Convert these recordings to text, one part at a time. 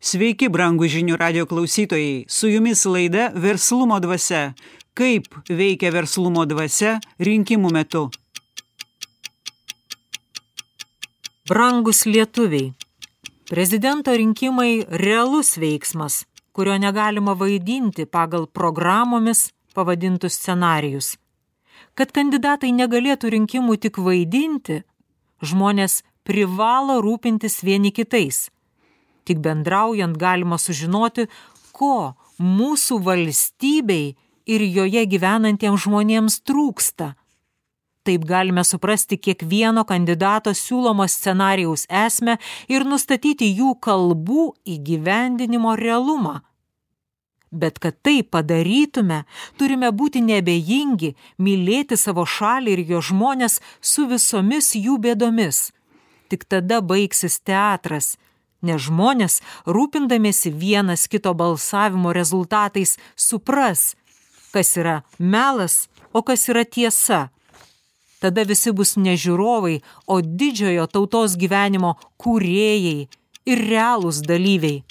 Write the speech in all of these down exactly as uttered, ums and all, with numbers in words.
Sveiki, brangų žinių radio klausytojai. Su jumis laida Verslumo dvasia. Kaip veikia verslumo dvasia rinkimų metu? Brangus lietuviai. Prezidento rinkimai realus veiksmas, kurio negalima vaidinti pagal programomis pavadintus scenarijus. Kad kandidatai negalėtų rinkimų tik vaidinti, žmonės privalo rūpintis vieni kitais. Tik bendraujant galima sužinoti, ko mūsų valstybei ir joje gyvenantiems žmonėms trūksta. Taip galime suprasti kiekvieno kandidato siūlomo scenarijaus esmę ir nustatyti jų kalbų įgyvendinimo realumą. Bet kad tai padarytume, turime būti neabejingi, mylėti savo šalį ir jo žmonės su visomis jų bėdomis. Tik tada baigsis teatras, nes žmonės, rūpindamiesi vienas kito balsavimo rezultatais, supras, kas yra melas, o kas yra tiesa. Tada visi bus ne žiūrovai, o didžiojo tautos gyvenimo kūrėjai ir realūs dalyviai.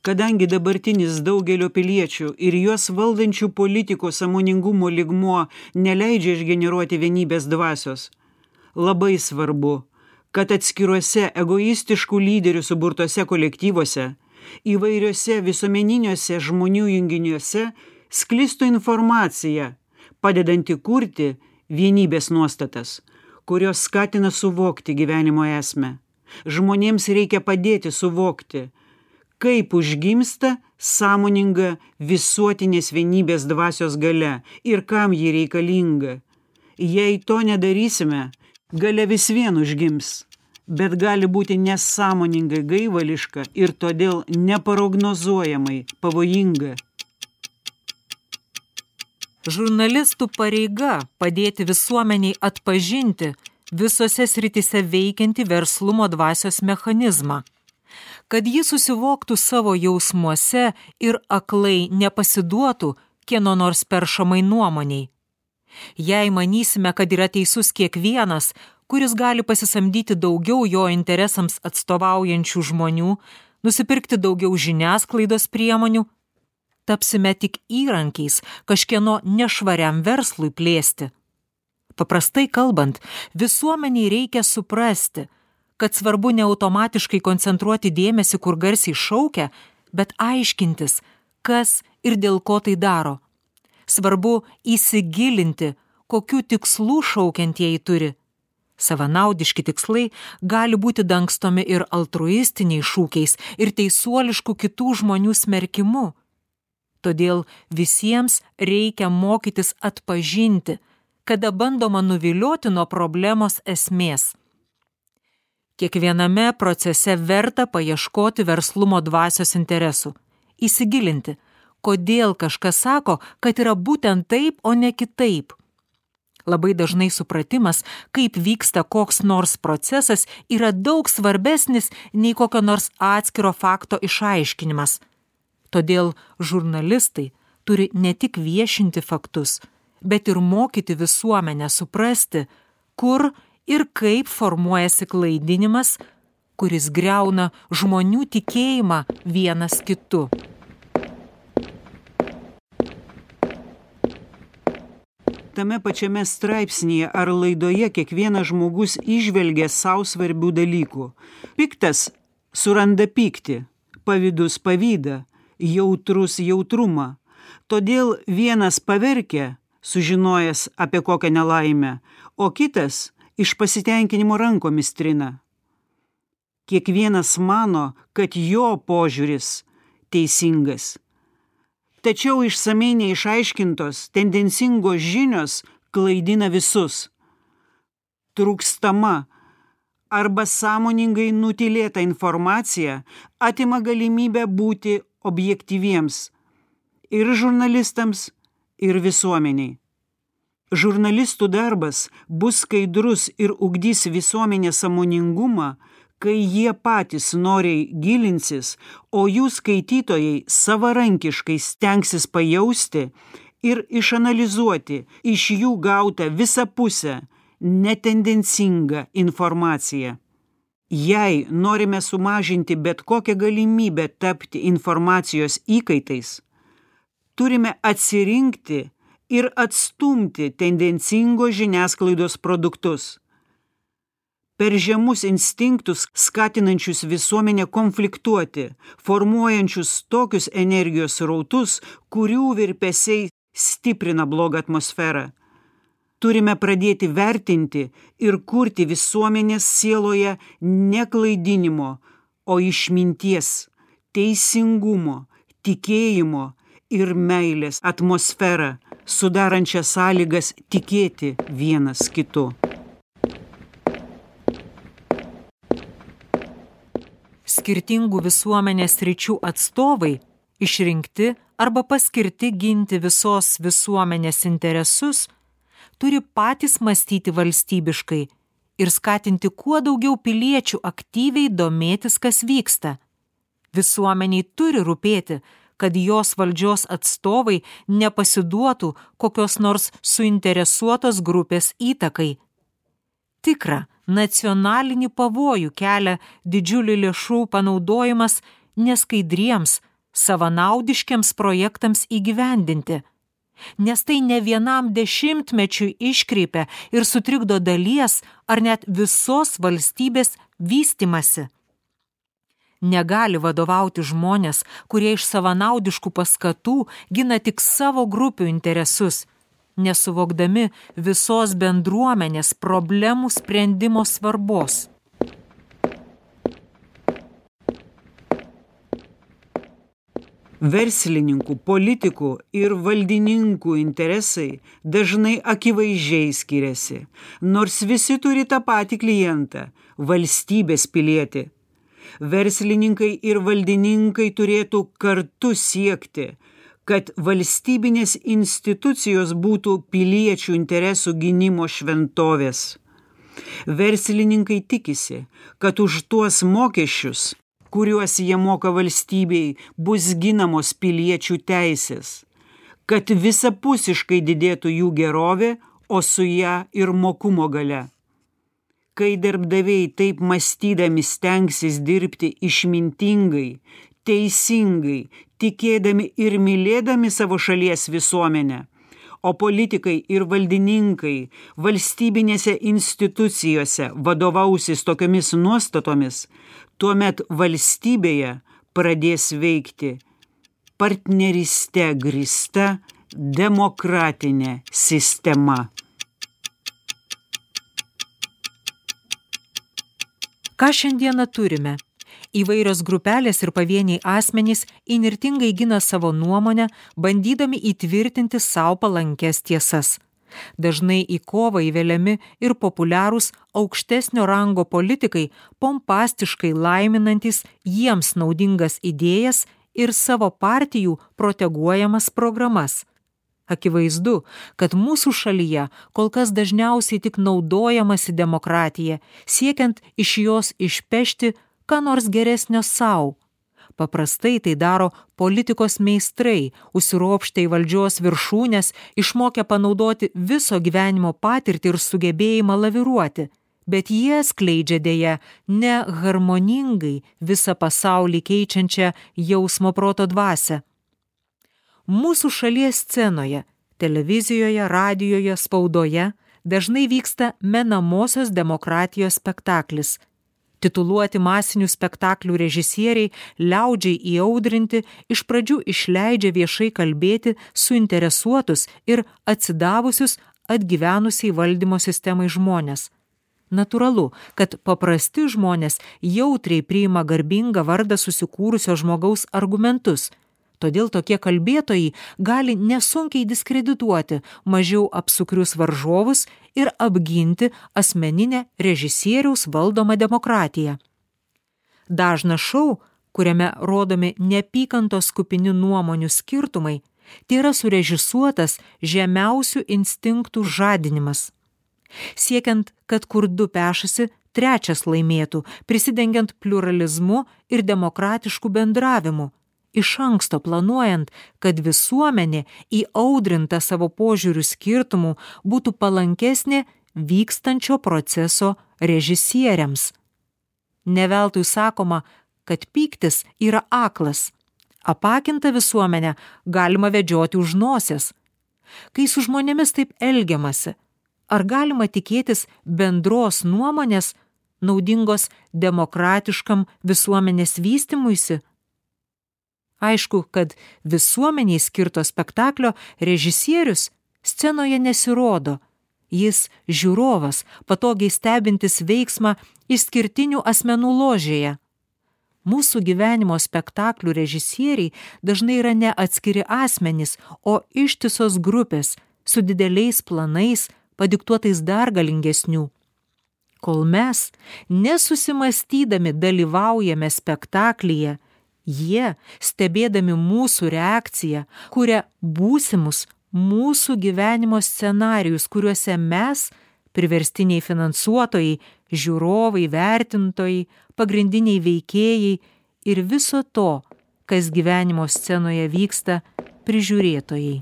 Kadangi dabartinis daugelio piliečių ir juos valdančių politikų sąmoningumo lygmuo neleidžia išgeneruoti vienybės dvasios, labai svarbu, kad atskiruose egoistiškų lyderių suburtose kolektyvuose, įvairiuose visuomeniniuose žmonių junginiuose sklistų informacija, padedanti kurti vienybės nuostatas, kurios skatina suvokti gyvenimo esmę. Žmonėms reikia padėti suvokti, kaip užgimsta sąmoninga visuotinės vienybės dvasios galia ir kam ji reikalinga. Jei to nedarysime, galia vis vien užgims, bet gali būti nesąmoningai gaivališka ir todėl neprognozuojamai pavojinga. Žurnalistų pareiga padėti visuomeniai atpažinti visose srityse veikiantį verslumo dvasios mechanizmą, kad ji susivoktų savo jausmuose ir aklai nepasiduotų kieno nors peršamai nuomoniai. Jei manysime, kad yra teisus kiekvienas, kuris gali pasisamdyti daugiau jo interesams atstovaujančių žmonių, nusipirkti daugiau žiniasklaidos priemonių, tapsime tik įrankiais kažkieno nešvariam verslui plėsti. Paprastai kalbant, visuomeniai reikia suprasti, kad svarbu ne automatiškai koncentruoti dėmesį, kur garsiai šaukia, bet aiškintis, kas ir dėl ko tai daro. Svarbu įsigilinti, kokių tikslų šaukiantieji turi. Savanaudiški tikslai gali būti dangstomi ir altruistiniais šūkiais, ir teisuoliškų kitų žmonių smerkimu. Todėl visiems reikia mokytis atpažinti, kada bandoma nuvilioti nuo problemos esmės. Kiekviename procese verta paieškoti verslumo dvasios interesų, įsigilinti, kodėl kažkas sako, kad yra būtent taip, o ne kitaip. Labai dažnai supratimas, kaip vyksta koks nors procesas, yra daug svarbesnis nei kokio nors atskiro fakto išaiškinimas. Todėl žurnalistai turi ne tik viešinti faktus, bet ir mokyti visuomenę suprasti, kur ir kaip formuojasi klaidinimas, kuris griauna žmonių tikėjimą vienas kitu. Tame pačiame straipsnyje ar laidoje kiekvienas žmogus įžvelgia savo svarbių dalykų. Piktas suranda pyktį, pavydus pavydą, jautrus jautrumą. Todėl vienas paverkia, sužinojęs apie kokią nelaimę, o kitas iš pasitenkinimo rankomis trina. Kiekvienas mano, kad jo požiūris teisingas. Tačiau išsamei neišaiškintos, tendencingos žinios klaidina visus. Trūkstama arba sąmoningai nutylėta informacija atima galimybę būti objektyviems ir žurnalistams, ir visuomeniai. Žurnalistų darbas bus skaidrus ir ugdys visuomenės sąmoningumą, kai jie patys noriai gilinsis, o jų skaitytojai savarankiškai stengsis pajausti ir išanalizuoti iš jų gautą visapusę, netendencingą informaciją. Jei norime sumažinti bet kokią galimybę tapti informacijos įkaitais, turime atsirinkti ir atstumti tendencingos žiniasklaidos produktus. Per žemus instinktus skatinančius visuomenę konfliktuoti, formuojančius tokius energijos srautus, kurių virpesiai stiprina blogą atmosferą. Turime pradėti vertinti ir kurti visuomenės sieloje ne klaidinimo, o išminties, teisingumo, tikėjimo ir meilės atmosferą, sudarančią sąlygas tikėti vienas kitu. Skirtingų visuomenės sričių atstovai, išrinkti arba paskirti ginti visos visuomenės interesus, turi patys mąstyti valstybiškai ir skatinti kuo daugiau piliečių aktyviai domėtis, kas vyksta. Visuomeniai turi rūpėti, kad jos valdžios atstovai nepasiduotų kokios nors suinteresuotos grupės įtakai. Tikra, nacionalinį pavojų kelia didžiulių lėšų panaudojimas neskaidriems, savanaudiškiams projektams įgyvendinti, nes tai ne vienam dešimtmečiui iškreipia ir sutrikdo dalies ar net visos valstybės vystymasi. Negali vadovauti žmonės, kurie iš savanaudiškų paskatų gina tik savo grupių interesus, nesuvokdami visos bendruomenės problemų sprendimo svarbos. Verslininkų, politikų ir valdininkų interesai dažnai akivaizdžiai skiriasi, nors visi turi tą patį klientą – valstybės pilietį. Verslininkai ir valdininkai turėtų kartu siekti, kad valstybinės institucijos būtų piliečių interesų gynimo šventovės. Verslininkai tikisi, kad už tuos mokesčius, kuriuos jie moka valstybei, bus ginamos piliečių teisės, kad visapusiškai didėtų jų gerovė, o su ją ir mokumo galia. Kai darbdaviai taip mąstydami stengsis dirbti išmintingai, teisingai, tikėdami ir mylėdami savo šalies visuomenę, o politikai ir valdininkai valstybinėse institucijose vadovausis tokiomis nuostatomis, tuomet valstybėje pradės veikti partneryste grįsta demokratinė sistema. Ką šiandieną turime? Įvairios grupelės ir pavieniai asmenys įnirtingai gina savo nuomonę, bandydami įtvirtinti savo palankes tiesas. Dažnai į kovą įveliami ir populiarūs aukštesnio rango politikai, pompastiškai laiminantis jiems naudingas idėjas ir savo partijų proteguojamas programas. Akivaizdu, kad mūsų šalyje kol kas dažniausiai tik naudojamasi demokratija, siekiant iš jos išpešti ką nors geresnio sau. Paprastai tai daro politikos meistrai, užsiropštę į valdžios viršūnes, išmokę panaudoti viso gyvenimo patirtį ir sugebėjimą laviruoti, bet jie skleidžia dėja ne harmoningai visą pasaulį keičiančią jausmo proto dvasią. Mūsų šalies scenoje, televizijoje, radijoje, spaudoje dažnai vyksta menamosios demokratijos spektaklis. Tituluoti masinių spektaklių režisieriai, liaudžiai įaudrinti, iš pradžių išleidžia viešai kalbėti suinteresuotus ir atsidavusius atgyvenusiai valdymo sistemai žmonės. Natūralu, kad paprasti žmonės jautriai priima garbingą vardą susikūrusio žmogaus argumentus. Todėl tokie kalbėtojai gali nesunkiai diskredituoti mažiau apsukrius varžovus ir apginti asmeninę režisieriaus valdomą demokratiją. Dažnas šou, kuriame rodomi neapykantos kupini nuomonių skirtumai, tai yra surežisuotas žemiausių instinktų žadinimas. Siekiant, kad kur du pešasi, trečias laimėtų, prisidengiant pliuralizmu ir demokratišku bendravimu, iš anksto planuojant, kad visuomenė įaudrinta savo požiūrių skirtumų būtų palankesnė vykstančio proceso režisieriams. Neveltui sakoma, kad pyktis yra aklas. Apakintą visuomenę galima vedžioti už nosies. Kai su žmonėmis taip elgiamasi, ar galima tikėtis bendros nuomonės, naudingos demokratiškam visuomenės vystymuisi? Aišku, kad visuomeniai skirto spektaklio režisierius scenoje nesirodo. Jis žiūrovas, patogiai stebintis veiksmą išskirtinių asmenų ložėje. Mūsų gyvenimo spektaklių režisieriai dažnai yra ne atskiri asmenys, o ištisos grupės su dideliais planais, padiktuotais dar galingesnių. Kol mes, nesusimastydami, dalyvaujame spektaklyje, jie, stebėdami mūsų reakciją, kuria būsimus mūsų gyvenimo scenarijus, kuriuose mes, priverstiniai finansuotojai, žiūrovai, vertintojai, pagrindiniai veikėjai ir viso to, kas gyvenimo scenoje vyksta, prižiūrėtojai.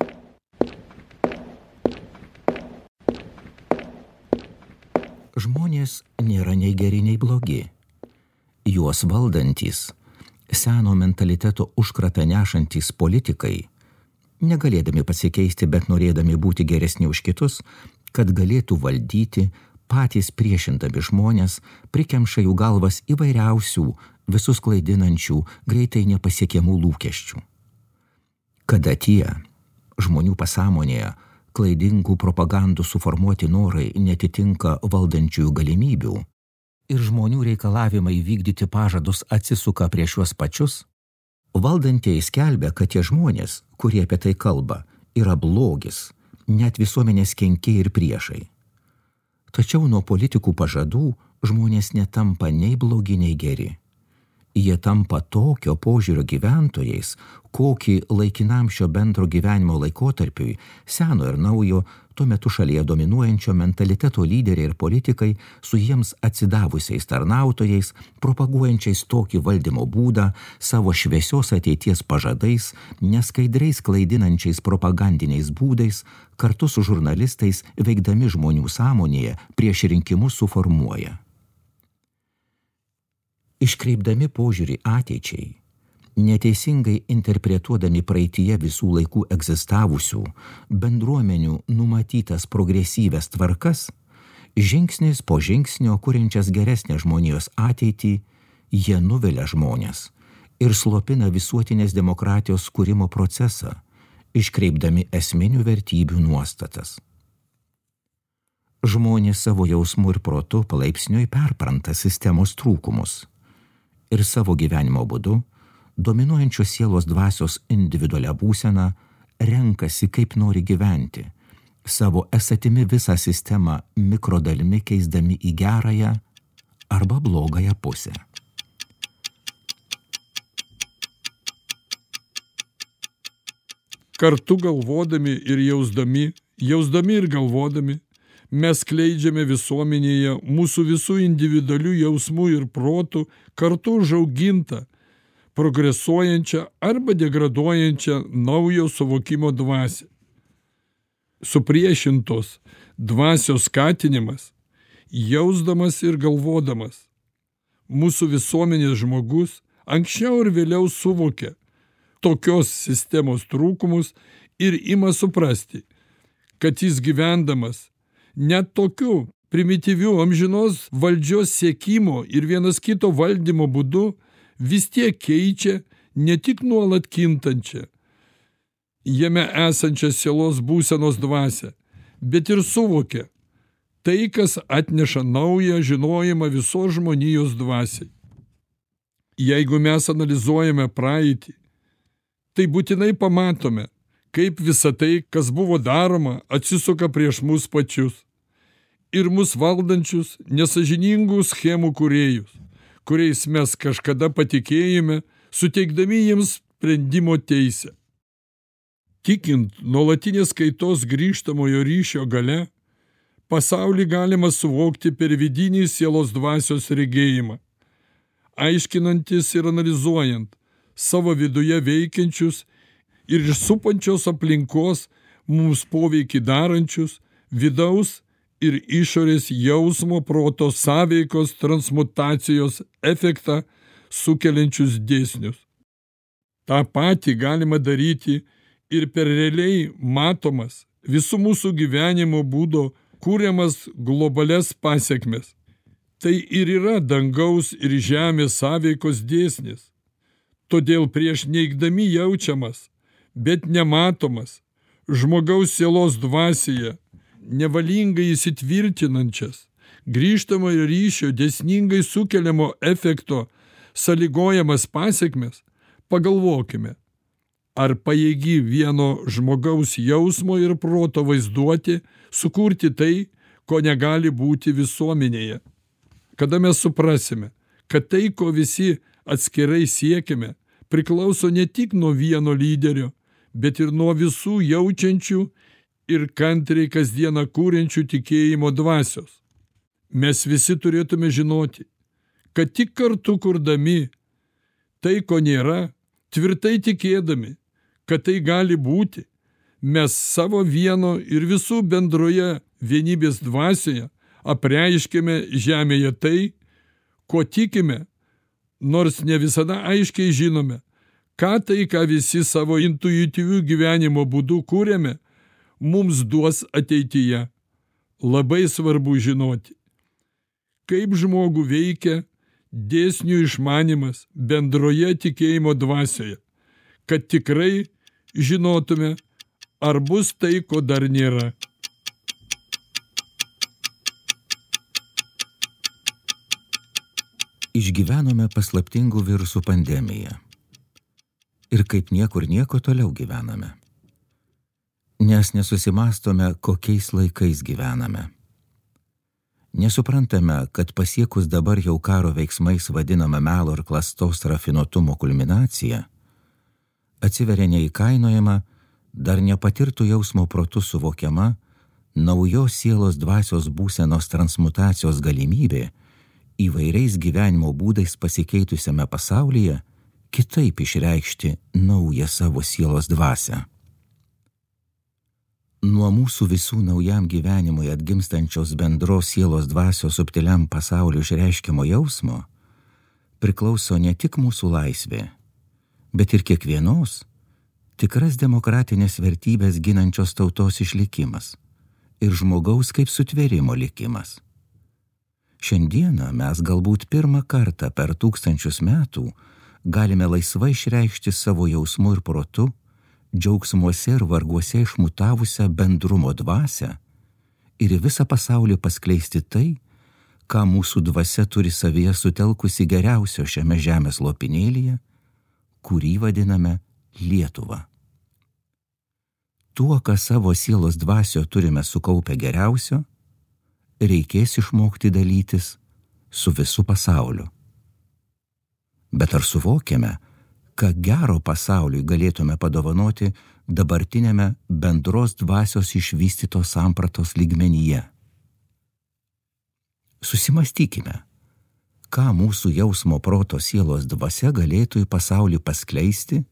Žmonės nėra nei geri, nei blogi. Juos valdantys, seno mentaliteto užkratą nešantys politikai, negalėdami pasikeisti, bet norėdami būti geresni už kitus, kad galėtų valdyti, patys priešindami žmonės, prikemša jų galvas įvairiausių, visus klaidinančių, greitai nepasiekiamų lūkesčių. Kada tie žmonių pasąmonėje klaidingų propagandų suformuoti norai netitinka valdančiųjų galimybių ir žmonių reikalavimai vykdyti pažadus atsisuka prieš juos pačius, valdantieji skelbia, kad tie žmonės, kurie apie tai kalba, yra blogis, net visuomenės kenkėjai ir priešai. Tačiau nuo politikų pažadų žmonės netampa nei blogi, nei geri. Jie tampa tokio požiūrio gyventojais, kokį laikinam šio bendro gyvenimo laikotarpiui, seno ir naujo, tuo metu šalyje dominuojančio mentaliteto lyderiai ir politikai su jiems atsidavusiais tarnautojais, propaguojančiais tokį valdymo būdą, savo šviesios ateities pažadais, neskaidriais klaidinančiais propagandiniais būdais, kartu su žurnalistais veikdami žmonių sąmonėje prieš rinkimus suformuoja. Iškreipdami požiūrį ateičiai, neteisingai interpretuodami praeityje visų laikų egzistavusių bendruomenių numatytas progresyvias tvarkas, žingsnis po žingsnio kuriančias geresnę žmonijos ateitį, jie nuvilia žmonės ir slopina visuotinės demokratijos kūrimo procesą, iškreipdami esminių vertybių nuostatas. Žmonės savo jausmu ir protu palaipsniui perpranta sistemos trūkumus ir savo gyvenimo būdu, dominuojančios sielos dvasios individualią būseną, renkasi kaip nori gyventi, savo esatimi visą sistemą mikrodalimi keisdami į gerąją arba blogąją pusę. Kartu galvodami ir jausdami, jausdami ir galvodami, mes skleidžiame visuomenėje mūsų visų individualių jausmų ir protų kartu užaugintą, progresuojančią arba degraduojančią naujo suvokimo dvasią. Supriešintos dvasios skatinimas, jausdamas ir galvodamas, mūsų visuomenės žmogus anksčiau ir vėliau suvokia tokios sistemos trūkumus ir ima suprasti, kad jis gyvendamas net tokiu primityviu amžinos valdžios siekimo ir vienas kito valdymo būdu vis tiek keičia ne tik nuolat kintančią, jame esančią sielos būsenos dvasią, bet ir suvokia tai, kas atneša naują žinojimą visos žmonijos dvasiai. Jeigu mes analizuojame praeitį, tai būtinai pamatome, kaip visa tai, kas buvo daroma, atsisuka prieš mus pačius ir mus valdančius nesąžiningų schemų kūrėjus, kuriais mes kažkada patikėjome, suteikdami jiems sprendimo teisę. Tikint nuolatinės kaitos grįžtamojo ryšio gale, pasaulį galima suvokti per vidinį sielos dvasios regėjimą, aiškinantis ir analizuojant savo viduje veikiančius ir iš supančios aplinkos mums poveikį darančius vidaus ir išorės jausmo proto sąveikos transmutacijos efektą sukeliančius dėsnius. Ta pati galima daryti ir per realiai matomas visų mūsų gyvenimo būdo kūriamas globalias pasekmes. Tai ir yra dangaus ir žemės sąveikos dėsnis. Todėl prieš neigdami jaučiamas, bet nematomas, žmogaus sielos dvasioje, nevalingai įsitvirtinančias, grįžtamojo ryšio dėsningai sukeliamo efekto sąlygojamas pasekmes, pagalvokime, ar pajėgi vieno žmogaus jausmo ir proto vaizduoti, sukurti tai, ko negali būti visuomenėje. Kada mes suprasime, kad tai, ko visi atskirai siekime, priklauso ne tik nuo vieno lyderio, bet ir nuo visų jaučiančių ir kantriai kasdieną kūrenčių tikėjimo dvasios. Mes visi turėtume žinoti, kad tik kartu kurdami tai, ko nėra, tvirtai tikėdami, kad tai gali būti, mes savo vieno ir visų bendroje vienybės dvasioje apreiškime žemėje tai, ko tikime, nors ne visada aiškiai žinome, ką tai, ką visi savo intuityvių gyvenimo būdų kūrėme, mums duos ateityje. Labai svarbu žinoti, kaip žmogų veikia dėsnių išmanimas bendroje tikėjimo dvasioje, kad tikrai žinotume, ar bus tai, ko dar nėra. Išgyvenome paslaptingų virusų pandemiją. Ir kaip niekur nieko toliau gyvename. Nes nesusimastome, kokiais laikais gyvename. Nesuprantame, kad pasiekus dabar jau karo veiksmais vadinamą melo ir klastos rafinuotumo kulminaciją, atsiveria neįkainojama, dar nepatirtų jausmo protu suvokiama naujos sielos dvasios būsenos transmutacijos galimybė įvairiais gyvenimo būdais pasikeitusiame pasaulyje kitaip išreikšti naują savo sielos dvasią. Nuo mūsų visų naujam gyvenimui atgimstančios bendros sielos dvasios subtiliam pasaulio išreiškiamo jausmo priklauso ne tik mūsų laisvė, bet ir kiekvienos tikras demokratinės vertybės ginančios tautos išlikimas ir žmogaus kaip sutvėrimo likimas. Šiandieną mes galbūt pirmą kartą per tūkstančius metų galime laisvai išreikšti savo jausmu ir protu, džiaugsmuose ir varguose išmutavusią bendrumo dvasią ir į visą pasaulį paskleisti tai, ką mūsų dvasia turi savyje sutelkusi geriausio šiame žemės lopinėlyje, kurį vadiname Lietuva. Tuo, ką savo sielos dvasio turime sukaupę geriausio, reikės išmokti dalytis su visu pasauliu. Bet ar suvokiame, ką gero pasauliui galėtume padovanoti dabartinėme bendros dvasios išvystytos sampratos lygmenyje? Susimastykime, ką mūsų jausmo proto sielos dvasia galėtų į pasaulį paskleisti,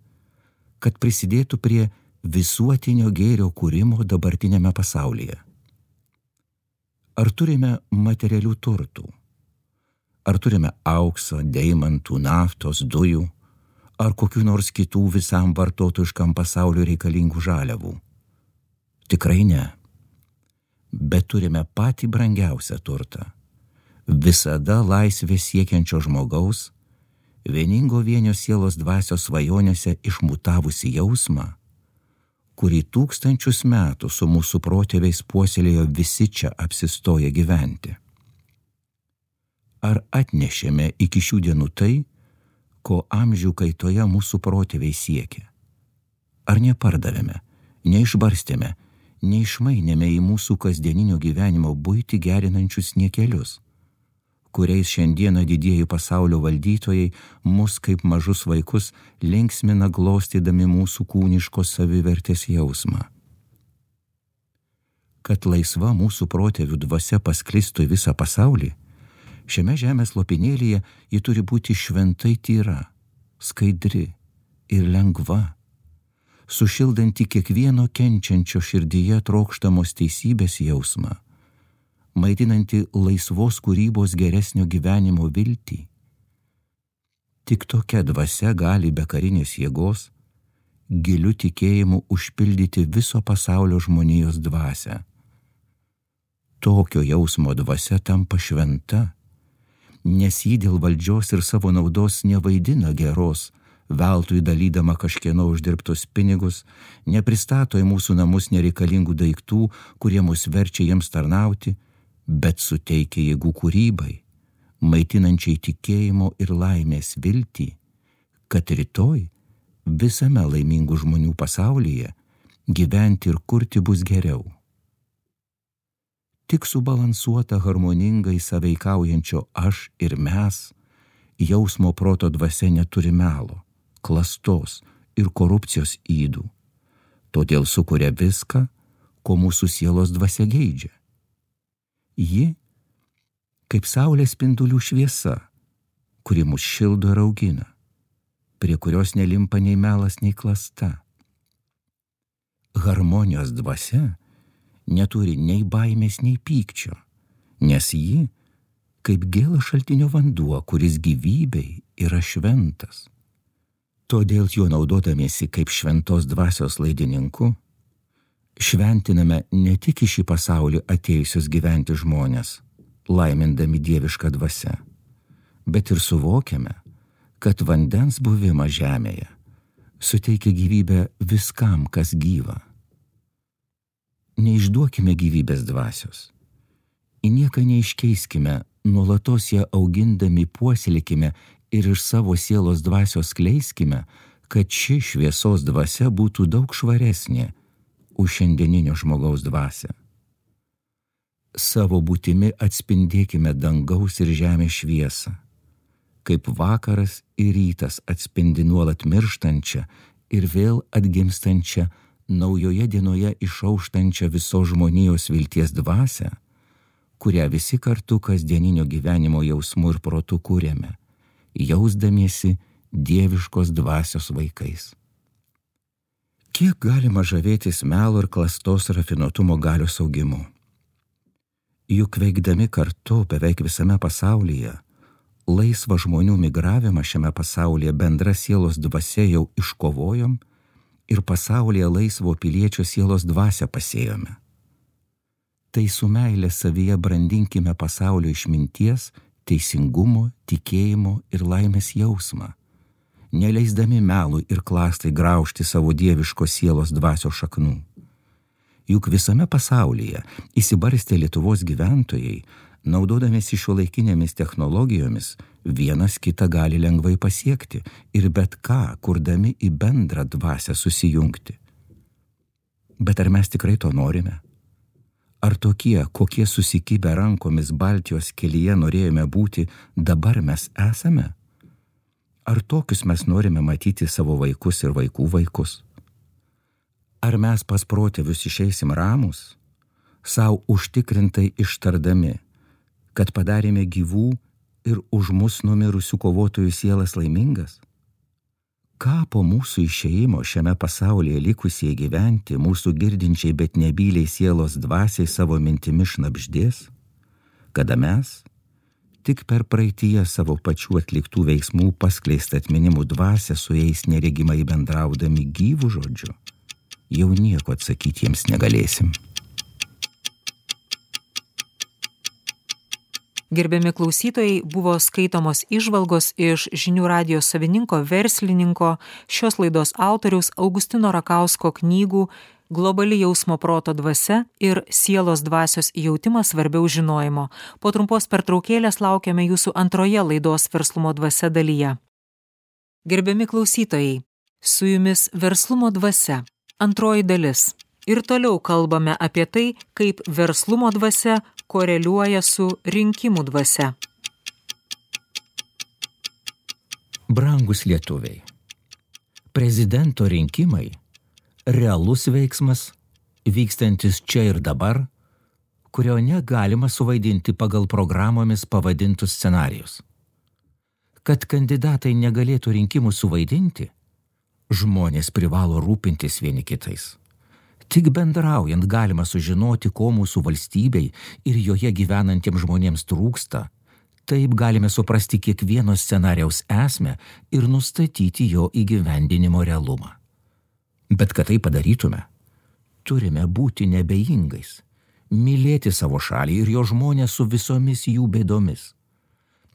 kad prisidėtų prie visuotinio gėrio kūrimo dabartinėme pasaulyje. Ar turime materialių turtų? Ar turime aukso, deimantų, naftos, dujų, ar kokių nors kitų visam vartotojiškam pasauliu reikalingų žaliavų? Tikrai ne. Bet turime patį brangiausią turtą. Visada laisvės siekiančio žmogaus, vieningo vienio sielos dvasios svajonėse išmutavusi jausmą, kurį tūkstančius metų su mūsų protėviais puoselėjo visi čia apsistoję gyventi. Ar atnešėme iki šių dienų tai, ko amžių kaitoje mūsų protėviai siekia? Ar nepardavėme, neišbarstėme, neišmainėme į mūsų kasdieninio gyvenimo buitį gerinančius niekelius, kuriais šiandieną didieji pasaulio valdytojai mus kaip mažus vaikus linksmina glostydami mūsų kūniškos savivertės jausmą? Kad laisva mūsų protėvių dvasia pasklistų į visą pasaulį, šiame žemės lopinėlyje ji turi būti šventai tyra, skaidri ir lengva, sušildanti kiekvieno kenčiančio širdyje trokštamos teisybės jausmą, maitinanti laisvos kūrybos geresnio gyvenimo viltį. Tik tokia dvasia gali be karinės jėgos giliu tikėjimu užpildyti viso pasaulio žmonijos dvasią. Tokio jausmo dvasia tampa šventa, nes ji dėl valdžios ir savo naudos nevaidina geros, veltui dalydama kažkieno uždirbtus pinigus, nepristato į mūsų namus nereikalingų daiktų, kurie mus verčia jiems tarnauti, bet suteikia jėgų kūrybai, maitinančiai tikėjimo ir laimės viltį, kad rytoj visame laimingų žmonių pasaulyje gyventi ir kurti bus geriau. Tik subalansuota harmoningai sąveikaujančio aš ir mes, jausmo proto dvasia neturi melo, klastos ir korupcijos ydų, todėl sukuria viską, ko mūsų sielos dvasia geidžia. Ji kaip saulės spindulių šviesa, kuri mus šildo ir augina, prie kurios nelimpa nei melas, nei klasta. Harmonijos dvasia neturi nei baimės, nei pykčio, nes ji kaip gėlas šaltinio vanduo, kuris gyvybei yra šventas. Todėl juo naudodamiesi kaip šventos dvasios laidininku, šventiname ne tik į šį pasaulį atėjusius gyventi žmonės, laimindami dievišką dvasią, bet ir suvokiame, kad vandens buvimas žemėje suteikia gyvybę viskam, kas gyva. Neišduokime gyvybės dvasios, į nieką neiškeiskime, nuolatos ją augindami puoselėkime ir iš savo sielos dvasios skleiskime, kad ši šviesos dvasia būtų daug švaresnė už šiandieninio žmogaus dvasią. Savo būtimi atspindėkime dangaus ir žemės šviesą, kaip vakaras ir rytas atspindi nuolat mirštančią ir vėl atgimstančią naujoje dienoje išauštančią visos žmonijos vilties dvasią, kurią visi kartu kasdieninio gyvenimo jausmu ir protu kūrėme, jausdamiesi dieviškos dvasios vaikais. Kiek galima žavėtis melo ir klastos rafinuotumo galios augimu? Juk veikdami kartu beveik visame pasaulyje, laisvą žmonių migravimą šiame pasaulyje bendra sielos dvasia jau iškovojom ir pasaulyje laisvo piliečio sielos dvasią pasėjome. Tai su meile savyje brandinkime pasaulio išminties, teisingumo, tikėjimo ir laimės jausmą, neleisdami melui ir klastai graužti savo dieviškos sielos dvasios šaknų. Juk visame pasaulyje įsibarstę Lietuvos gyventojai, naudodamiesi šiuolaikinėmis technologijomis, vienas kitą gali lengvai pasiekti ir bet ką, kurdami į bendrą dvasią susijungti. Bet ar mes tikrai to norime? Ar tokie, kokie susikibę rankomis Baltijos kelyje norėjome būti, dabar mes esame? Ar tokius mes norime matyti savo vaikus ir vaikų vaikus? Ar mes pas protėvius išeisim ramus, sau užtikrintai ištardami, kad padarėme gyvų ir už mus numirusių kovotojų sielas laimingas? Ką po mūsų išėjimo šiame pasaulyje likusiai gyventi mūsų girdinčiai, bet nebyliai sielos dvasiai savo mintimi šnabždės, kada mes, tik per praeityje savo pačių atliktų veiksmų paskleistą atminimų dvasią su jais neregimai bendraudami gyvų žodžiu, jau nieko atsakyti jiems negalėsim. Gerbiami klausytojai, buvo skaitomos įžvalgos iš Žinių radijo savininko, verslininko, šios laidos autoriaus Augustino Rakausko knygų Globali jausmo proto dvasia ir Sielos dvasios jautimas svarbiau žinojimo. Po trumpos pertraukėlės laukiame jūsų antroje laidos Verslumo dvasia dalyje. Gerbiami klausytojai, su jumis Verslumo dvasia, antroji dalis. Ir toliau kalbame apie tai, kaip verslumo dvasia koreliuoja su rinkimų dvasia. Brangus lietuviai, prezidento rinkimai realus veiksmas, vykstantis čia ir dabar, kurio negalima suvaidinti pagal programomis pavadintus scenarijus. Kad kandidatai negalėtų rinkimų suvaidinti, žmonės privalo rūpintis vieni kitais. Tik bendraujant galima sužinoti, ko mūsų valstybei ir joje gyvenantiems žmonėms trūksta. Taip galime suprasti kiekvieno scenarijaus esmę ir nustatyti jo įgyvendinimo realumą. Bet kad tai padarytume, turime būti nebejingais, mylėti savo šalį ir jo žmonės su visomis jų bėdomis.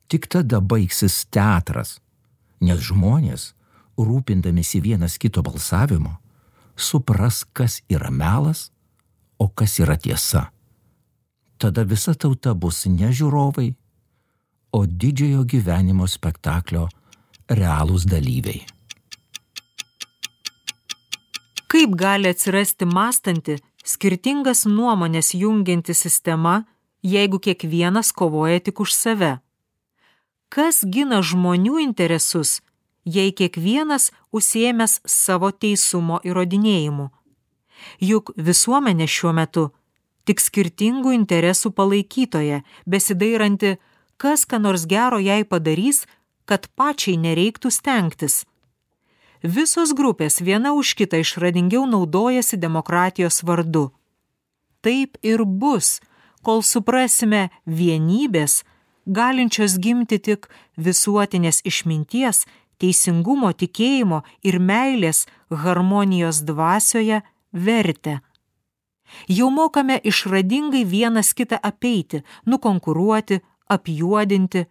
Tik tada baigsis teatras, nes žmonės, rūpindamisi vienas kito balsavimo, supras, kas yra melas, o kas yra tiesa. Tada visa tauta bus ne žiūrovai, o didžiojo gyvenimo spektaklio realūs dalyviai. Kaip gali atsirasti mąstanti, skirtingas nuomonės jungianti sistema, jeigu kiekvienas kovoja tik už save? Kas gina žmonių interesus, jei kiekvienas užsiėmęs savo teisumo įrodinėjimu? Juk visuomenė šiuo metu tik skirtingų interesų palaikytoja, besidairanti, kas ką nors gero jai padarys, kad pačiai nereiktų stengtis. Visos grupės viena už kitą išradingiau naudojasi demokratijos vardu. Taip ir bus, kol suprasime vienybės, galinčios gimti tik visuotinės išminties, teisingumo, tikėjimo ir meilės harmonijos dvasioje vertę. Jau mokame išradingai vienas kitą apeiti, nukonkuruoti, apjuodinti,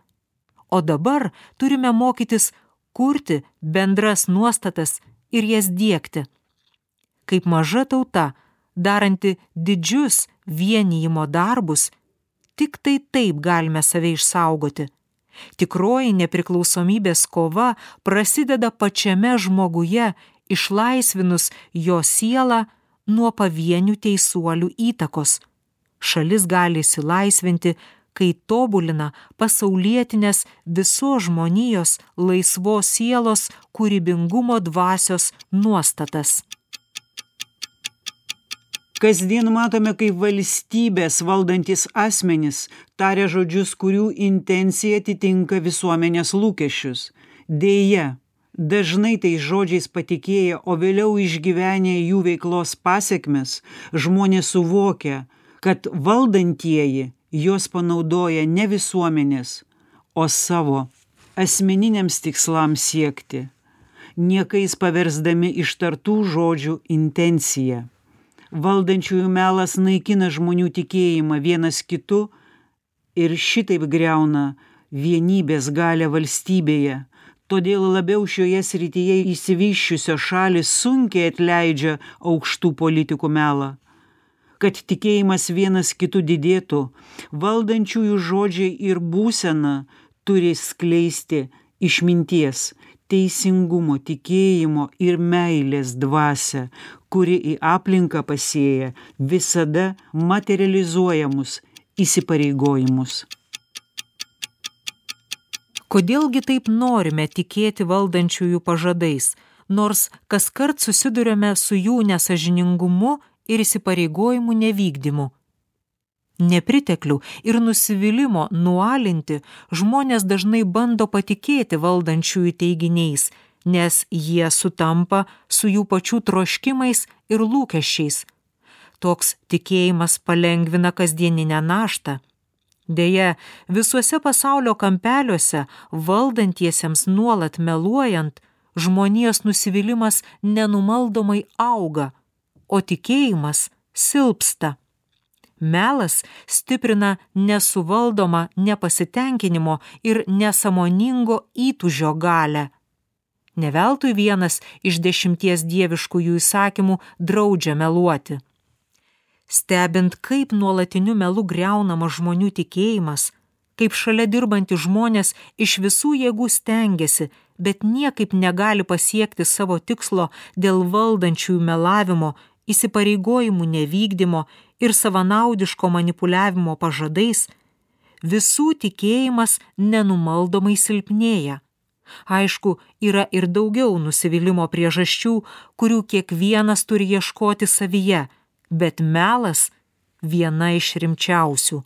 o dabar turime mokytis kurti bendras nuostatas ir jas diegti. Kaip maža tauta, daranti didžius vienijimo darbus, tik tai taip galime save išsaugoti. Tikroji nepriklausomybės kova prasideda pačiame žmoguje, išlaisvinus jo sielą nuo pavienių teisuolių įtakos. Šalis gali išsilaisvinti, kai tobulina pasaulietinės visos žmonijos laisvos sielos kūrybingumo dvasios nuostatas. Kasdien matome, kaip valstybės valdantis asmenys taria žodžius, kurių intencija atitinka visuomenės lūkesčius. Deja, dažnai tais žodžiais patikėję, o vėliau išgyvenę jų veiklos pasekmes, žmonės suvokia, kad valdantieji jos panaudoja ne visuomenės, o savo asmeniniams tikslams siekti, niekais paversdami ištartų žodžių intenciją. Valdančiųjų melas naikina žmonių tikėjimą vienas kitu ir šitaip griauna vienybės galią valstybėje. Todėl labiau šioje srityje išsivysčiusios šalys sunkiai atleidžia aukštų politikų melą. Kad tikėjimas vienas kitų didėtų, valdančiųjų žodžiai ir būsena turi skleisti išminties, teisingumo, tikėjimo ir meilės dvasią, kuri į aplinką pasėja visada materializuojamus įsipareigojimus. Kodėlgi taip norime tikėti valdančiųjų pažadais, nors kaskart susiduriame su jų nesąžiningumu ir įsipareigojimų nevykdymu? Nepriteklių ir nusivylimų nualinti žmonės dažnai bando patikėti valdančiųjų teiginiais, nes jie sutampa su jų pačių troškimais ir lūkesčiais. Toks tikėjimas palengvina kasdieninę naštą. Deja, visuose pasaulio kampeliuose valdantiesiems nuolat meluojant, žmonijos nusivylimas nenumaldomai auga, o tikėjimas silpsta. Melas stiprina nesuvaldomą nepasitenkinimo ir nesąmoningo įtūžio galią. Ne veltui vienas iš dešimties dieviškųjų įsakymų draudžia meluoti. Stebint, kaip nuolatiniu melu griaunama žmonių tikėjimas, kaip šalia dirbantys žmonės iš visų jėgų stengiasi, bet niekaip negali pasiekti savo tikslo dėl valdančiųjų melavimo, įsipareigojimų nevykdymo ir savanaudiško manipuliavimo pažadais, visų tikėjimas nenumaldomai silpnėja. Aišku, yra ir daugiau nusivylimo priežasčių, kurių kiekvienas turi ieškoti savyje, bet melas viena iš rimčiausių.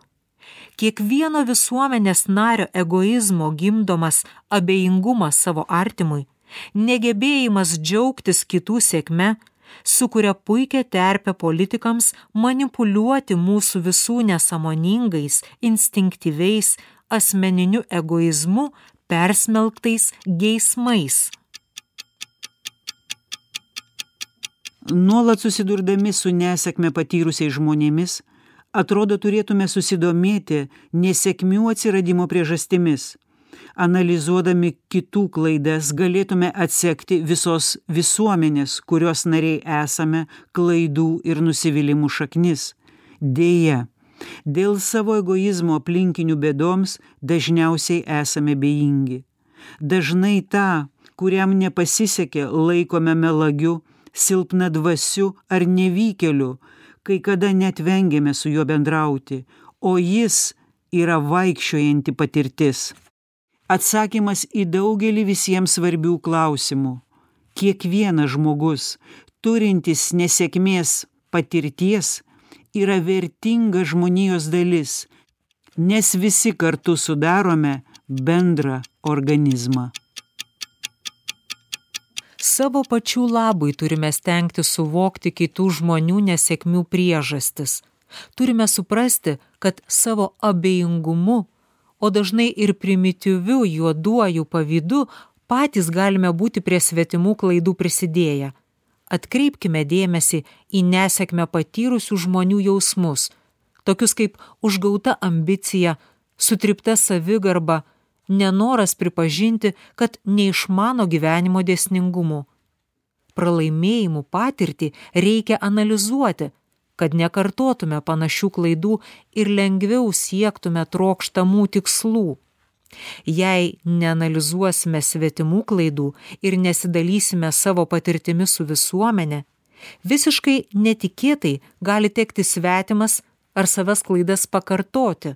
Kiekvieno visuomenės nario egoizmo gimdomas abejingumas savo artimui, negebėjimas džiaugtis kitų sėkme, sukuria puikią terpę politikams manipuliuoti mūsų visų nesąmoningais, instinktyviais, asmeniniu egoizmu persmelktais geismais. Nuolat susidurdami su nesėkme patyrusiais žmonėmis, atrodo turėtume susidomėti nesėkmių atsiradimo priežastimis. Analizuodami kitų klaidas galėtume atsekti visos visuomenės, kurios nariai esame, klaidų ir nusivylimų šaknis. Deja, dėl savo egoizmo aplinkinių bėdoms dažniausiai esame bejingi. Dažnai tą, kuriam nepasisekė, laikome melagiu, silpnadvasiu ar nevykėliu, kai kada net vengiame su juo bendrauti, o jis yra vaikščiojanti patirtis. Atsakymas į daugelį visiems svarbių klausimų. Kiekvienas žmogus, turintis nesėkmės patirties, yra vertinga žmonijos dalis, nes visi kartu sudarome bendrą organizmą. Savo pačių labui turime stengti suvokti kitų žmonių nesėkmių priežastis. Turime suprasti, kad savo abejingumu, o dažnai ir primityviu juoduoju pavydu patys galime būti prie svetimų klaidų prisidėję. Atkreipkime dėmesį į nesėkmę patyrusių žmonių jausmus, tokius kaip užgauta ambicija, sutrypta savigarba, nenoras pripažinti, kad neišmano gyvenimo dėsningumų. Pralaimėjimų patirtį reikia analizuoti, kad nekartotume panašių klaidų ir lengviau siektume trokštamų tikslų. Jei neanalizuosime svetimų klaidų ir nesidalysime savo patirtimi su visuomenė, visiškai netikėtai gali tekti svetimas ar savas klaidas pakartoti.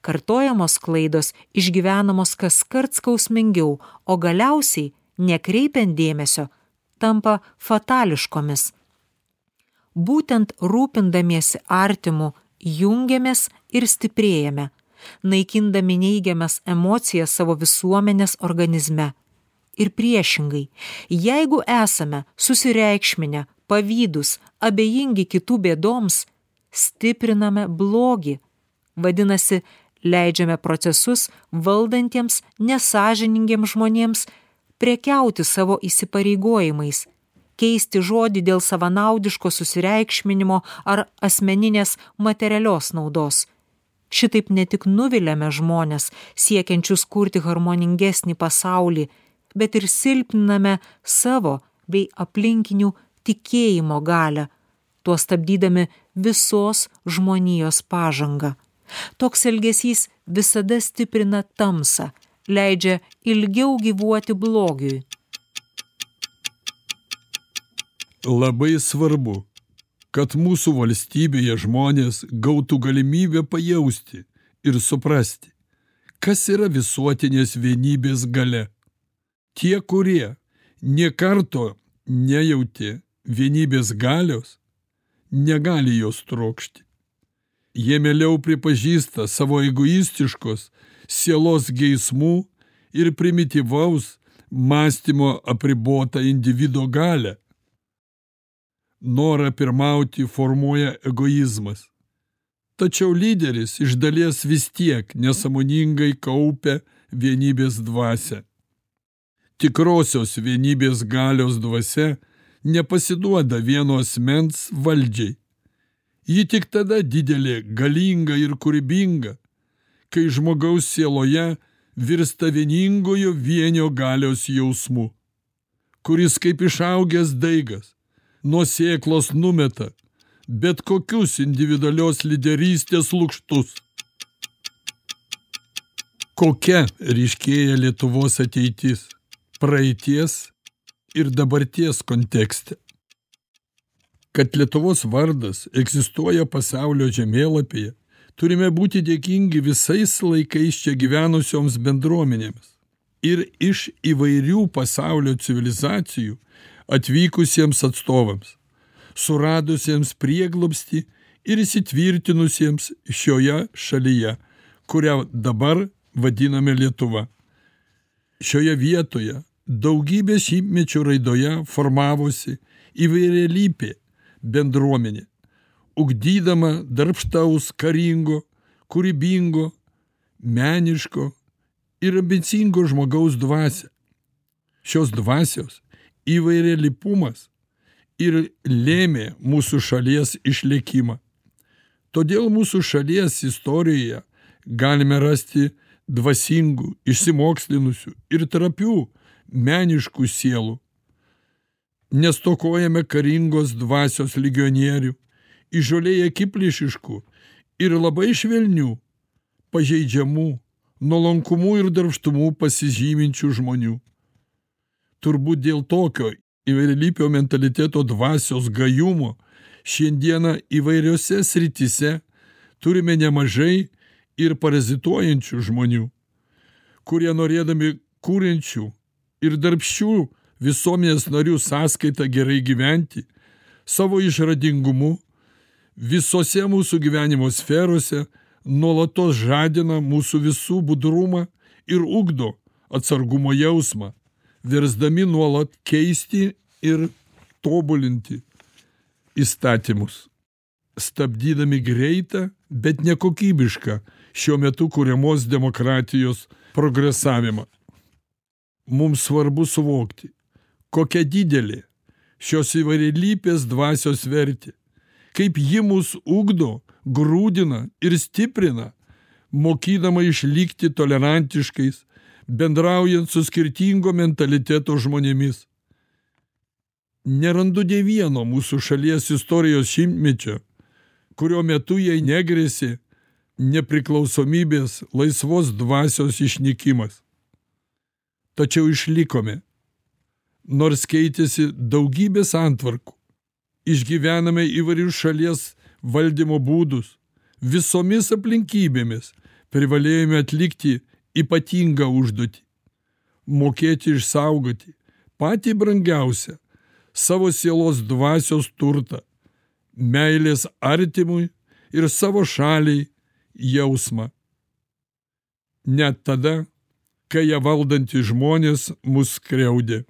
Kartojamos klaidos išgyvenamos kaskart skausmingiau, o galiausiai, nekreipiant dėmesio, tampa fatališkomis. Būtent rūpindamiesi artimu jungiamės ir stiprėjame, naikindami neigiamas emocijas savo visuomenės organizme. Ir priešingai, jeigu esame susireikšminę, pavydūs, abejingi kitų bėdoms, stipriname blogį. Vadinasi, leidžiame procesus valdantiems nesąžiningiems žmonėms prekiauti savo įsipareigojimais, keisti žodį dėl savanaudiško susireikšminimo ar asmeninės materialios naudos. Šitaip ne tik nuviliame žmones, siekiančius kurti harmoningesnį pasaulį, bet ir silpniname savo bei aplinkinių tikėjimo galią, tuo stabdydami visos žmonijos pažangą. Toks elgesys visada stiprina tamsą, leidžia ilgiau gyvuoti blogiui. Labai svarbu, kad mūsų valstybėje žmonės gautų galimybę pajausti ir suprasti, kas yra visuotinės vienybės galia. Tie, kurie nė karto nejautė vienybės galios, negali jos trokšti. Jie mieliau pripažįsta savo egoistiškos sielos geismų ir primityvaus mąstymo apribotą individo galią. Norą pirmauti formuoja egoizmas. Tačiau lyderis iš dalies vis tiek nesąmoningai kaupia vienybės dvasią. Tikrosios vienybės galios dvasia nepasiduoda vieno asmens valdžiai. Ji tik tada didelė, galinga ir kūrybinga, kai žmogaus sieloje virsta vieningojo vienio galios jausmu, kuris kaip išaugęs daigas nuo sėklos numeta bet kokius individualios lyderystės lukštus. Kokia ryškėja Lietuvos ateitis praeities ir dabarties kontekste? Kad Lietuvos vardas egzistuoja pasaulio žemėlapyje, turime būti dėkingi visais laikais čia gyvenusioms bendruomenėms ir iš įvairių pasaulio civilizacijų atvykusiems atstovams, suradusiems prieglobstį ir įsitvirtinusiems šioje šalyje, kurią dabar vadiname Lietuva. Šioje vietoje daugybė šimtmečių raidoje formavosi įvairialypė bendruomenė, ugdydama darbštaus, karingo, kūrybingo, meniško ir ambicingo žmogaus dvasią. Šios dvasios įvairialypumas ir lėmė mūsų šalies išlikimą. Todėl mūsų šalies istorijoje galime rasti dvasingų, išsimokslinusių ir trapių meniškų sielų. Nestokojame karingos dvasios legionierių, įžūliai akiplėšiškų ir labai švelnių, pažeidžiamų, nuolankumu ir darbštumu pasižyminčių žmonių. Turbūt dėl tokio įvairialypio mentaliteto dvasios gajumo šiandieną įvairiose srityse turime nemažai ir parazituojančių žmonių, kurie norėdami kūrenčių ir darbščių visuomenės narių sąskaitą gerai gyventi, savo išradingumu visose mūsų gyvenimo sferose nuolatos žadina mūsų visų budrumą ir ugdo atsargumo jausmą, versdami nuolat keisti ir tobulinti įstatymus, stabdydami greitą, bet nekokybišką šiuo metu kuriamos demokratijos progresavimą. Mums svarbu suvokti, kokia didelė šios įvairialypės dvasios vertė, kaip ji mus ugdo, grūdina ir stiprina, mokydama išlikti tolerantiškais, bendraujant su skirtingo mentaliteto žmonėmis. Nerandu nė vieno mūsų šalies istorijos šimtmečio, kurio metu jai negrėsė nepriklausomybės laisvos dvasios išnykimas. Tačiau išlikome, nors keitėsi daugybė santvarkų, išgyvename įvairius šalies valdymo būdus, visomis aplinkybėmis privalėjome atlikti ypatingą užduotį – mokėti išsaugoti patį brangiausią savo sielos dvasios turtą, meilės artimui ir savo šaliai jausmą. Net tada, kai ją valdantys žmonės mus skriaudė.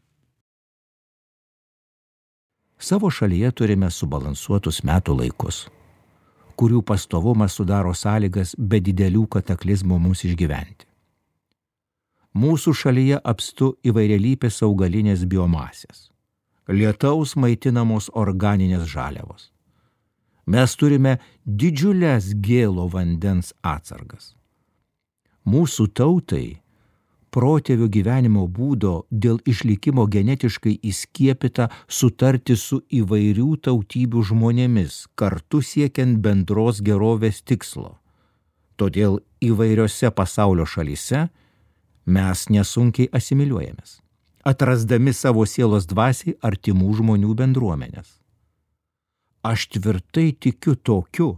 Savo šalyje turime subalansuotus metų laikus, kurių pastovumas sudaro sąlygas be didelių kataklizmų mums išgyventi. Mūsų šalyje apstu įvairialypės augalinės biomasės, lietaus maitinamos organinės žaliavos. Mes turime didžiulės gėlo vandens atsargas. Mūsų tautai protėvių gyvenimo būdo dėl išlikimo genetiškai įskiepyta sutarti su įvairių tautybių žmonėmis, kartu siekiant bendros gerovės tikslo. Todėl įvairiose pasaulio šalyse mes nesunkiai asimiliuojamės, atrasdami savo sielos dvasiai artimų žmonių bendruomenės. Aš tvirtai tikiu tokiu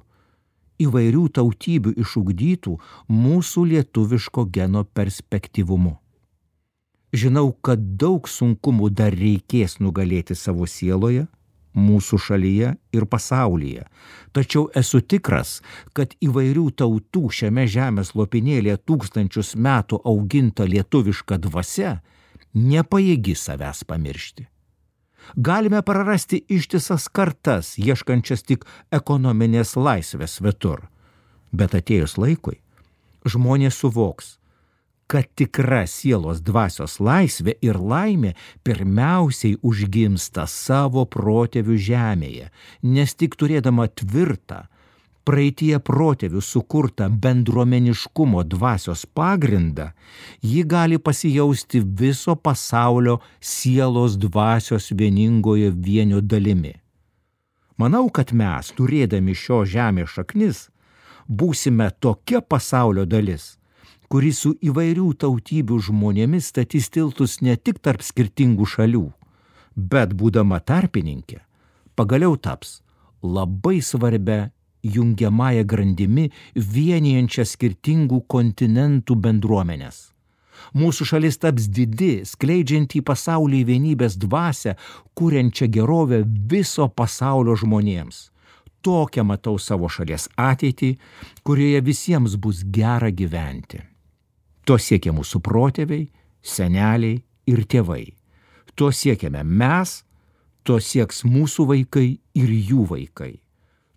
įvairių tautybių išugdytų mūsų lietuviško geno perspektyvumu. Žinau, kad daug sunkumų dar reikės nugalėti savo sieloje, mūsų šalyje ir pasaulyje, tačiau esu tikras, kad įvairių tautų šiame žemės lopinėlėje tūkstančius metų auginta lietuviška dvasia nepajėgi savęs pamiršti. Galime prarasti ištisas kartas, ieškančias tik ekonominės laisvės svetur. Bet atėjus laikui, žmonės suvoks, kad tikra sielos dvasios laisvė ir laimė pirmiausiai užgimsta savo protėvių žemėje, nes tik turėdama tvirtą, praeityje protėvių sukurtą bendruomeniškumo dvasios pagrindą, ji gali pasijausti viso pasaulio sielos dvasios vieningoje vienio dalimi. Manau, kad mes, turėdami šio žemės šaknis, būsime tokia pasaulio dalis, kuri su įvairių tautybių žmonėmis statys tiltus ne tik tarp skirtingų šalių, bet būdama tarpininkė, pagaliau taps labai svarbia jungiamąją grandimi vienijančią skirtingų kontinentų bendruomenės. Mūsų šalis taps didi, skleidžianti į pasaulį vienybės dvasią, kuriančią gerovę viso pasaulio žmonėms. Tokią matau savo šalies ateitį, kurioje visiems bus gera gyventi. To siekia mūsų protėviai, seneliai ir tėvai. To siekiame mes, to sieks mūsų vaikai ir jų vaikai.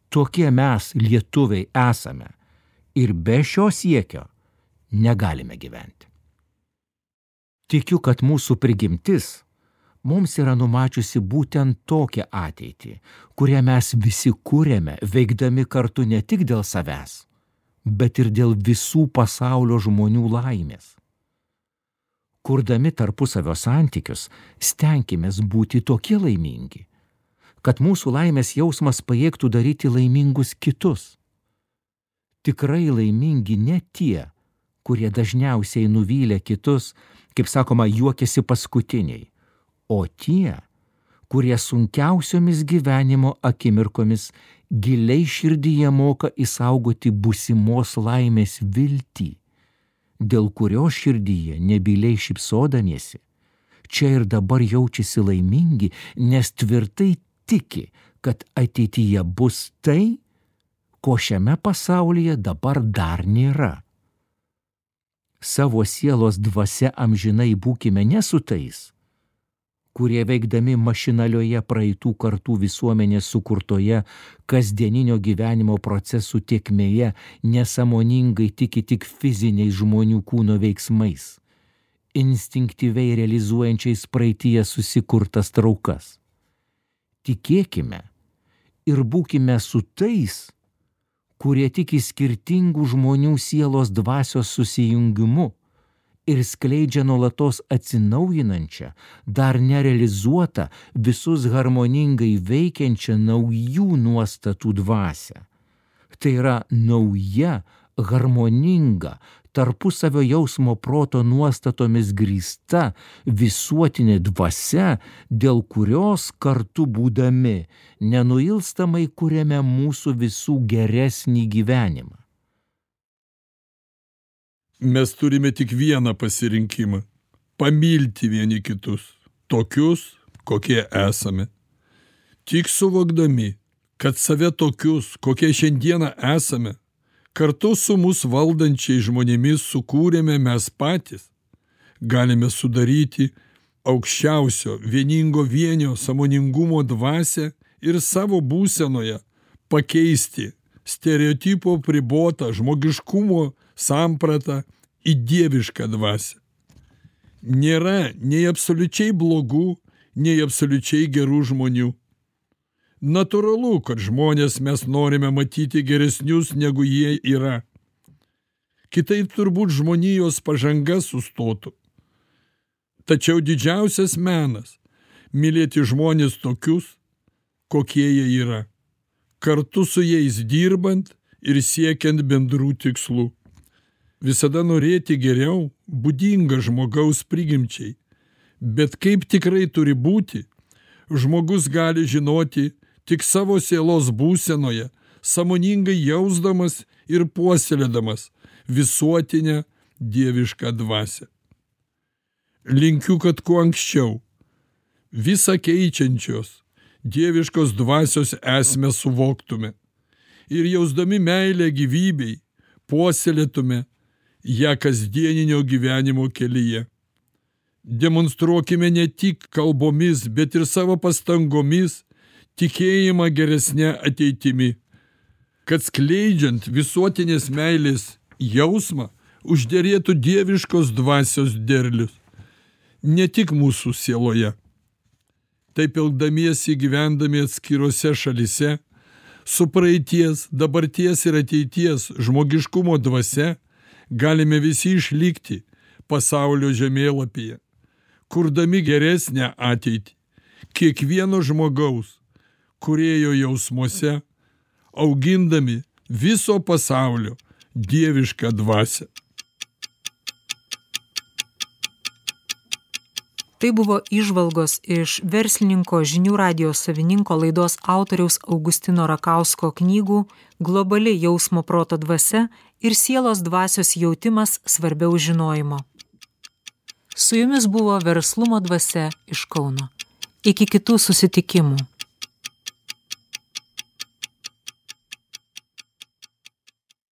Tokie mes, lietuviai, esame ir be šio siekio negalime gyventi. Tikiu, kad mūsų prigimtis mums yra numačiusi būtent tokią ateitį, kurią mes visi kūrėme, veikdami kartu ne tik dėl savęs, bet ir dėl visų pasaulio žmonių laimės. Kurdami tarpusavio santykius, stenkimės būti tokie laimingi, kad mūsų laimės jausmas pajėgtų daryti laimingus kitus. Tikrai laimingi ne tie, kurie dažniausiai nuvylė kitus, kaip sakoma, juokiasi paskutiniai, o tie, kurie sunkiausiomis gyvenimo akimirkomis giliai širdyje moka išsaugoti būsimos laimės viltį, dėl kurios širdyje nebyliai šypsodamiesi, čia ir dabar jaučiasi laimingi, nes tvirtai tiki, kad ateityje bus tai, ko šiame pasaulyje dabar dar nėra. Savo sielos dvasia amžinai būkime ne su tais, kurie veikdami mašinalioje praeitų kartų visuomenės sukurtoje kasdieninio gyvenimo procesų tėkmėje nesąmoningai tiki tik fiziniais žmonių kūno veiksmais, instinktyviai realizuojančiais praeityje susikurtas traukas. Tikėkime ir būkime su tais, kurie tiki skirtingų žmonių sielos dvasios susijungimu ir skleidžia nuolatos atsinaujinančią, dar nerealizuotą, visus harmoningai veikiančią naujų nuostatų dvasią. Tai yra nauja, harmoninga, tarpusavio jausmo proto nuostatomis grįsta visuotinė dvasia, dėl kurios kartu būdami nenuilstamai kuriame mūsų visų geresnį gyvenimą. Mes turime tik vieną pasirinkimą – pamilti vieni kitus, tokius, kokie esame. Tik suvokdami, kad save tokius, kokie šiandieną esame, kartu su mus valdančiai žmonėmis sukūrėme mes patys, galime sudaryti aukščiausio vieningo vienio sąmoningumo dvasią ir savo būsenoje pakeisti stereotipo pribotą žmogiškumo sampratą į dievišką dvasią. Nėra nei absoliučiai blogų, nei absoliučiai gerų žmonių. Natūralu, kad žmonės mes norime matyti geresnius, negu jie yra. Kitaip turbūt žmonijos pažanga sustotų. Tačiau didžiausias menas – mylėti žmonės tokius, kokie jie yra, kartu su jais dirbant ir siekiant bendrų tikslų. Visada norėti geriau būdinga žmogaus prigimčiai, bet kaip tikrai turi būti, žmogus gali žinoti tik savo sielos būsenoje, sąmoningai jausdamas ir puoselėdamas visuotinę dievišką dvasią. Linkiu, kad kuo anksčiau visą keičiančios dieviškos dvasios esmę suvoktume ir jausdami meilę gyvybei puoselėtume ją kasdieninio gyvenimo kelyje. Demonstruokime ne tik kalbomis, bet ir savo pastangomis tikėjimą geresnę ateitimi, kad skleidžiant visuotinės meilės jausmą užderėtų dieviškos dvasios derlius, ne tik mūsų sieloje. Taip elgdamiesi gyvendami atskirose šalyse, su praeities, dabarties ir ateities žmogiškumo dvasia galime visi išlikti pasaulio žemėlapyje, kurdami geresnę ateitį, kiekvieno žmogaus, kūrėjo jausmuose, augindami viso pasaulio dievišką dvasią. Tai buvo įžvalgos iš verslininko Žinių radijo savininko laidos autoriaus Augustino Rakausko knygų Globali jausmo proto dvasia ir sielos dvasios jautimas svarbiau žinojimo. Su jumis buvo Verslumo dvasia iš Kauno. Iki kitų susitikimų.